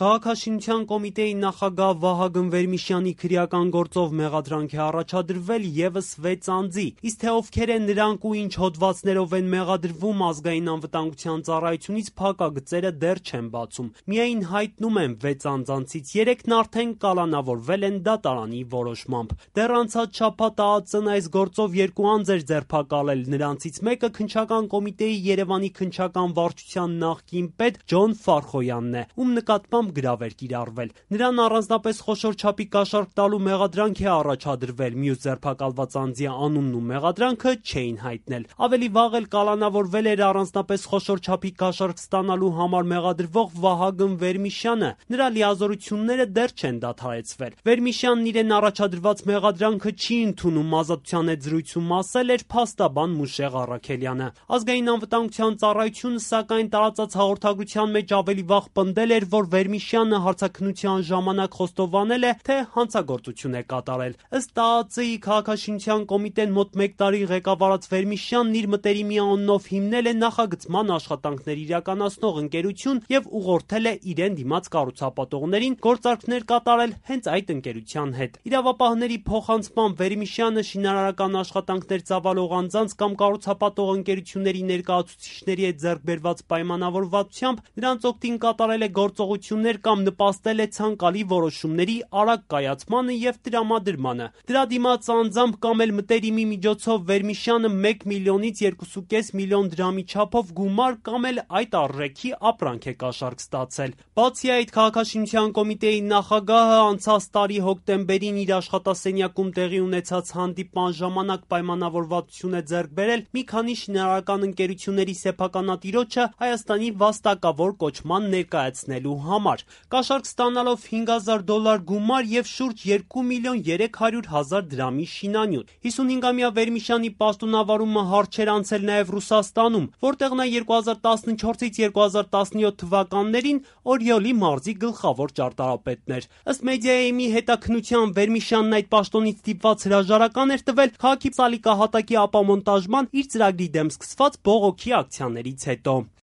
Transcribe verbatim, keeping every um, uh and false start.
Քաղաքաշինության կոմիտեի նախագահ Վահագն Վերմիշյանի քրեական գործով մեղադրանք է առաջադրվել ևս վեց անձի, իսկ թե ովքեր են նրանք ու ինչ հոդվածներով են մեղադրվում, ազգային անվտանգության ծառայությունից փակագծերը դեռ չեն բացում։ Միայն հայտնում են վեց անձանցից երեքն արդեն կալանավորվել են դատարանի որոշմամբ։ Դեռ անցած շաբաթ ԱԱԾ-ն այս գործով երկու անձ էր ձերբակալել, նրանցից մեկը քննչական կոմիտեի Երևանի քննչական վարչության նախկին պետ Ջոն Ֆարխոյանն է, ում նկատմամբ գրավ էր կիրառվել։ Նրան առանձնապես խոշոր չափի կաշառք տալու մեղադրանք է առաջադրվել, մյուս ձերբակալված անձի անունն ու մեղադրանքը չէին հայտնել։ Ավելի վաղ էլ կալանավորվել էր առանձնապես խոշոր չափի կաշառք ստանալու համար մեղադրվող Վահագն Վերմիշյանը, նրա լիազորությունները դեռ չեն դադարեցվել։ Վերմիշյանն իրեն առաջադրված մեղադրանքը չի ընդունում, ազատության հետ զրույցում ասել էր փաստաբան Մուշեղ Առաքելյանը։ Ազգային անվտանգության ծառայությունը սակայն տարածած հաղորդագրության մեջ ավելի վաղ պնդել էր, որ Վերմիշյանը հարցաքննության ժամանակ խոստովանել է, թե հանցագործություն է կատարել։ Ըստ ԱԱԾ-ի քաղաքաշինության կոմիտեն մոտ մեկ տարի ղեկավարած Վերմիշյանն իր մտերիմի անունով հիմնել է նախագծման աշխատանքներ իրականացնող ընկերություն եւ ուղղորդել է իրեն դիմաց կառուցապատողներին գործարքներ կատարել հենց այդ ընկերության հետ։ Իրավապահների փոխանցմամբ Վերմիշյանը շինարարական աշխատանքներ ծավալող անձանց կամ կառուցապատող ընկերությունների ներկայացուցիչների հետ ձեռք բերված պայմանավորվածությամբ նրանց օգտին կատարել է գործողություններ կամ նպաստել է ցանկալի որոշումների արագ կայացմանը եւ տրամադրմանը։ Դրա դիմաց անձամբ կամ էլ մտերիմի միջոցով Վերմիշյանը մեկ միլիոնից երկու կόμma պենս միլիոն դրամի չափով գումար կամ էլ այդ արժեքի ապրանք է կաշառք ստացել։ Բացի այդ, քաղաքաշինության կոմիտեի նախագահը անցած տարի հոկտեմբերին իր աշխատասենյակում տեղի ունեցած հանդիպման ժամանակ պայմանավորվածություն է ձեռք բերել մի քանի շինարարական ընկերությունների սեփականատիրոջը Հայաստանի վաստակավոր կոչման ներկայացնելու համար, կաշառք ստանալով հինգ հազար դոլար գումար եւ շուրջ երկու միլիոն երեք հարյուր հազար դրամի շինանյութ։ հիսունհինգամյա Վերմիշյանի պաշտոնավարումը հարց էր անցել նաեւ Ռուսաստանում, որտեղ նա երկու հազար տասնչորսից երկու հազար տասնյոթ թվականներին Օրիոլի մարզի գլխավոր ճարտարապետն էր։ Ըստ Մեդիայեմի հետաքննության Վերմիշյանն այդ պաշտոնից ստիպված հրաժարական էր տվել քաղաքի սալիկահատակի ապամոնտաժման իր ծրագրի դեմ սկսված բողոքի ակցիաներից հետո։